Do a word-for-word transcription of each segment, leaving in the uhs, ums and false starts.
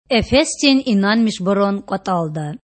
Эфесдин инанмишбурун кІватІалда.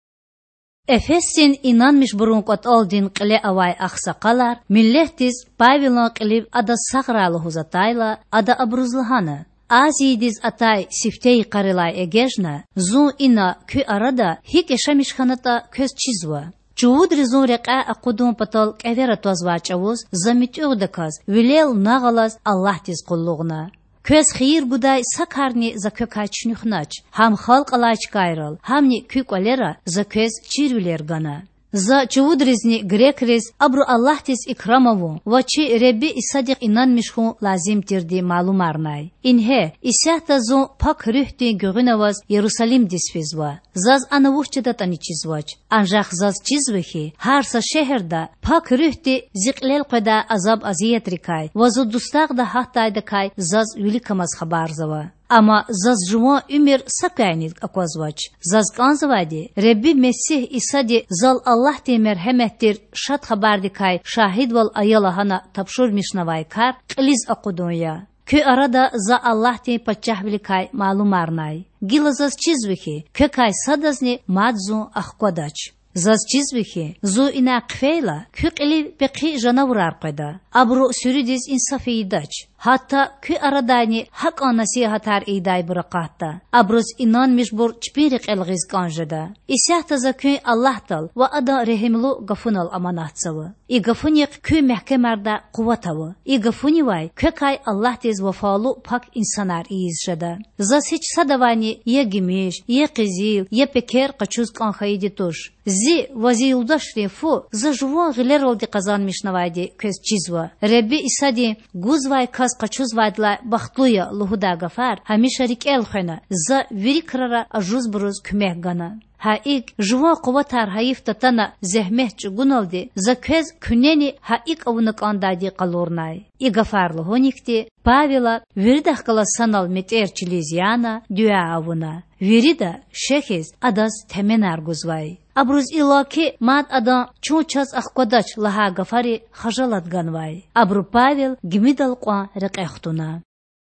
Эфесдин инанмишбурун кІватІалдин кьиле авай агъсакъалар миллетдиз Павелан кьилив адаз сагърай лугьуз атайла, ада абуруз лагьана: Азиядиз атай сифте йикъарилай эгечІна зун ина, куь арада, гьикІ яшамиш хьанатІа квез чизва. Чувудри зун рекьяй акъудун патал кІевера твазвай чІавуз за муьтІуьгъдаказ, вилел нагъв алаз Аллагьдиз къуллугъна. Квез хийир гудай са карни за квекай чуьнуьхнач, гьам халкь алай чкайрал, гьамни куь кІвалера за квез чирвилер гана. За чувудризни грекриз абуру Аллагьдиз икрам авун ва чи Худа Исадихъ инанмиш хьун лазим тирди малумарнай. Ингье, исятда зун Пак Руьгьдин гуьгъуьна аваз Ярусалимдиз физва. Заз ана вуч жедатІани чизвач. Анжах заз чизва хьи, гьар са шегьерда Пак Руьгьди зи кьилел къведай азаб-азиятрикай ва зун дустагъда гьатдайдакай заз виликамаз хабарзава. Амма заз жуван уьмуьр са квяйни аквазвач. Заз кІанзавайди Худа Месигь Исади зал Аллагьдин мергьемет тир Шад Хабардикай шагьидвал ая лагьана тапшурмишнавай кар кьилиз акъудун я. Куь арада за Аллагьдин пачагьвиликай малумарнай. Гила заз чизва хьи, квекай садазни мад зун ахквадач. Заз чизва хьи, зун инай хъфейла, куь кьилив пехъи жанавурар къведа, абуру суьруьдиз инсаф ийидач. Гьатта куь арадайни гьакІан насигьатар ийидайбур акъатда. Абуруз инанмишбур чпин рекьел гъиз кІан жеда. Исятда за куьн Аллагьдал ва Адан регьимлу гафунал аманатзава. И гафунихъ куь мягькемардай къуват ава. И гафунивай квекай Аллагьдиз вафалу пак инсанар ийиз жеда. Заз гьич садавайни я гимиш, я къизил, я пекер къачуз кІан хьайиди туш. Зи ва зи юлдашрин фу за жуван гъилералди къазанмишнавайди квез чизва. Худа Исадин гузвай кас къачузвайдалай бахтлу я лугьудай гафар гьамиша рикІел хвена, за вири крара ажузбуруз куьмек гана. Гьа икІ, жуван къуватар гьайиф татана зегьмет чІугуналди, за квез куьнени гьа икІ авуна кІандайди къалурнай. И гафар лугьуникди Павела, виридахъ галаз санал метІер чилиз яна, дуьа авуна. Вирида, шехьиз, адаз теменар гузвай. Абуруз иллаки мад адан чун чаз ахквадач лагьай гафари хажалат ганвай. Абуру Павел гимидал кьван рекье хтуна.